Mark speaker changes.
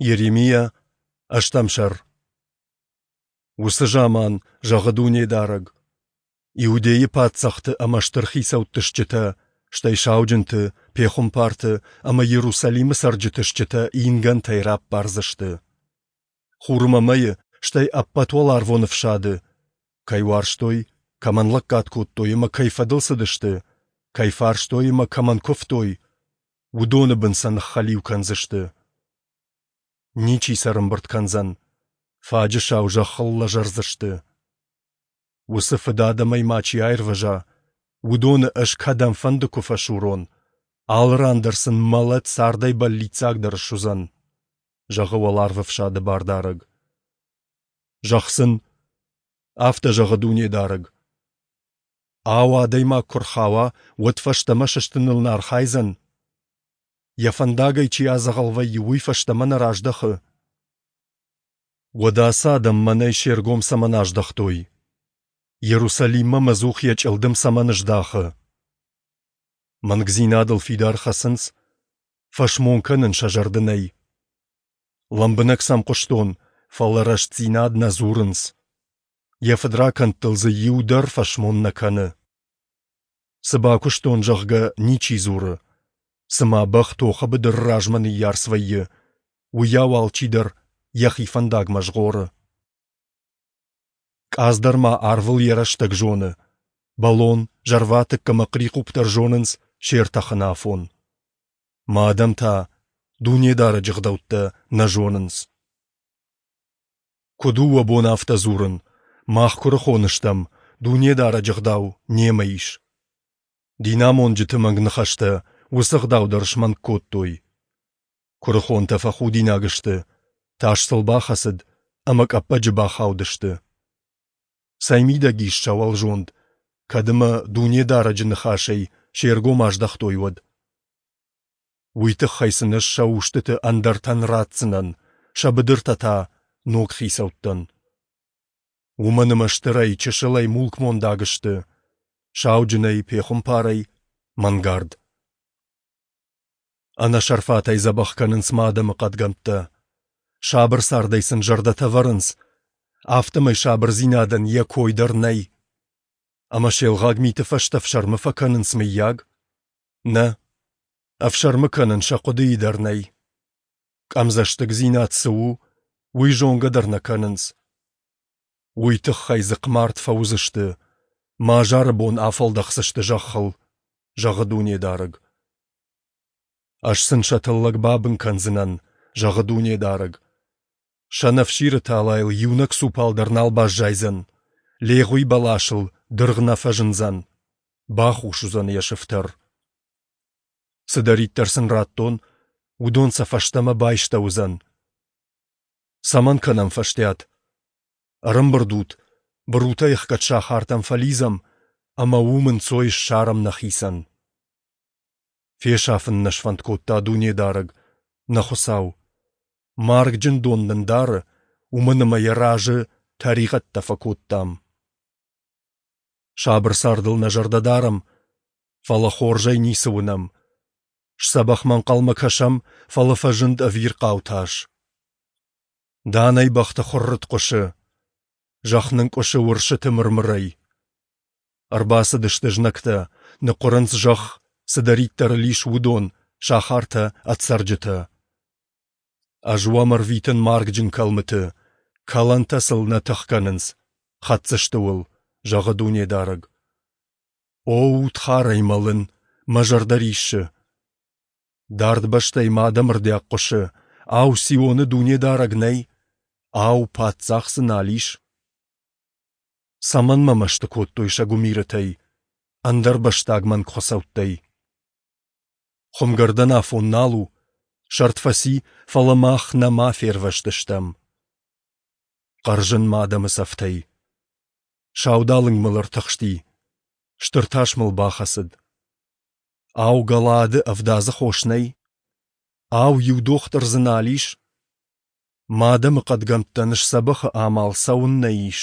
Speaker 1: Йеремиа, ӕстӕм сӕр. Уыцы заман, зӕгъы Дунедарӕг, Иудейы паддзӕхты ӕмӕ стыр хицӕутты стджытӕ, стӕй сауджынты, пехуымпарты ӕмӕ Иерусалимы цӕрджыты стджытӕ ингӕнтӕй раппардзысты. Хурмӕ мӕйы, стӕй ӕппӕт уӕларвон ӕфсады, кӕй уарзтой, кӕмӕн лӕггад кодтой ӕмӕ кӕй фӕдыл цыдысты, кӕй фарстой ӕмӕ кӕмӕн куывтой, уыдоны бын сӕ ныххӕлиу кӕндзысты. Ничи сӕ рымбырд кӕндзӕн, фаджысау зӕххыл лӕзӕрдзысты. Уыцы фыдадӕмӕй ма чи аирвӕза, уыдоны ӕз кӕдӕмфӕнды куы фӕсурон, алы ран дӕр сын мӕлӕт цардӕй бӕллиццагдӕр суыдзӕн, зӕгъы уӕларвӕфсады Бардарӕг. Зӕгъ сын, афтӕ зӕгъы Дунедарӕг: Ау, адӕймаг куы рхауа, уӕд фӕстӕмӕ сыстыныл нӕ архайдзӕн? Йӕ фӕндагӕй чи адзӕгъӕл вӕййы, уый фӕстӕмӕ нӕ раздӕхы? Уӕдӕ ацы адӕм мӕнӕй се ргом цӕмӕн аздӕхтой? Иерусалиммӕ мӕ ӕдзух йӕ чъылдым цӕмӕн здахы? Мӕнгдзинадыл фидар хӕцынц, фӕсмон кӕнын сӕ зӕрды нӕй. Лӕмбынӕг сӕм хъуыстон, фӕлӕ рӕстдзинад нӕ дзурынц. Йӕ фыдракӕндтыл дзы иу дӕр фӕсмон нӕ кӕны. Цы бакуыстон, зӕгъгӕ, ничи дзуры. Цыма бӕх тохы быдыры размӕ ныййарц вӕййы, уыйау алчидӕр йӕхи фӕндагмӕ згъоры. Къадз дӕр ма арвыл йӕ рӕстӕг зоны. Бӕлон, зӕрватыкк ӕмӕ хърихъупп дӕр зонынц се ртӕхыны афон. Мӕ адӕм та Дунедарӕджы гъдӕуттӕ нӕ зонынц. Куыд у уӕ бон афтӕ дзурын, мах куырыхон стӕм, Дунедарӕджы гъдау немӕ ис? Динамонджыты мӕнг ныхӕстӕ уыцы гъдау дӕр смӕнг кодтой. Куырыхонтӕ фӕхудинаг сты, тас сыл бахӕцыд ӕмӕ къӕппӕджы бахаудысты. Цӕй мидӕг ис сӕ уӕлзонд, кӕд ӕмӕ Дунедарӕджы ныхасӕй се ргом аздӕхтой, уӕд? Уый тыххӕй сын ӕз сӕ устыты ӕндӕртӕн ратдзынӕн, сӕ быдыртӕ та ног хицӕуттӕн. Уымӕн ӕмӕ стырӕй, чысылӕй мулкмондаг сты, сауджынӕй, пехуымпарӕй – мӕнгард. Ӕнӕсӕрфатӕй дзӕбӕх кӕнынц мӕ адӕмы хъӕдгӕмттӕ. Сабыр цардӕй сын зӕрдӕтӕ вӕрынц, афтӕмӕй сабырдзинадӕн йӕ кой дӕр нӕй. Ӕмӕ се лгъаг миты фӕстӕ ӕфсӕрмы фӕкӕнынц, мыййаг? Нӕ, ӕфсӕрмы кӕнын сӕ хъуыдыйы дӕр нӕй. Къӕмдзӕстыгдзинад цы у, уый зонгӕ дӕр нӕ кӕнынц. Уый тыххӕй дзыхъмард фӕуыдзысты, мӕ азары бон афӕлдӕхдзысты зӕххыл, зӕгъы Дунедарӕг. Ӕз сын сӕ тыллӕг бабын кӕндзынӕн, зӕгъы Дунедарӕг. Сӕнӕфсиры талайыл иунӕг цупал дӕр нал баззайдзӕн, легъуи бӕласыл дыргъ нӕ фӕзындзӕн, бахус уыдзӕн йӕ сыфтӕр. Цыдӕриддӕр сын радтон, уыдон сӕ фӕстӕмӕ байстӕуыдзӕн. Цӕмӕн кӕнӕм фӕстиат? Ӕрӕмбырд ут, бырутӕй ӕхгӕд сахартӕм фӕлидзӕм ӕмӕ уым ӕнцой ссарӕм нӕхицӕн. Фесафын нӕ сфӕнд кодта Дунедарӕг, нӕ Хуыцау. Маргджын дон нын дары, уымӕн ӕмӕ йӕ разы тӕригъӕдтӕ фӕкодтам. Сабыр цардыл нӕ зӕрдӕ дарӕм, фӕлӕ хорзӕй ницы уынӕм. Сдзӕбӕхмӕ ӕнхъӕлмӕ кӕсӕм, фӕлӕ фӕзынд ӕвирхъау тас. Данӕй бӕхты хуыррытт хъуысы, зӕхх нынкъуысы уырсыты мыр-мырӕй. Ӕрбацыдысты знӕгтӕ, ныхъуырынц зӕхх, цыдӕриддӕр ыл ис, уыдон, сахартӕ ӕд цӕрджытӕ. Ӕз уӕм ӕрвитын маргджын кӕлмыты, кӕлӕнтӕ сыл нӕ тых кӕнынц, хӕцдзысты уыл, зӕгъы Дунедарӕг. О, удхарӕй мӕлын, мӕ зӕрдӕ риссы. Дард бӕстӕй мӕ адӕмы рдиаг хъуысы, ау, Сионы Дунедарӕг нӕй? Ау, паддзах дзы нал ис? Цӕмӕн мӕ мӕсты кодтой сӕ гуымирытӕй, ӕндӕрбӕстаг мӕнгхуыцӕуттӕй? Хуымгӕрдӕн афон нал у, сӕрд фӕци, фӕлӕ мах нӕма фервӕзтыстӕм. Хъӕрзын мӕ адӕмы цӕфтӕй. Саудалынг мыл ӕртыхсти, стыр тас мыл бахӕцыд. Ау, Галаады ӕвдадзы хос нӕй? Ау, иу дохтыр дзы нал ис? Мӕ адӕмы хъӕдгӕмттӕн сдзӕбӕхы амал цӕуыннӕ ис?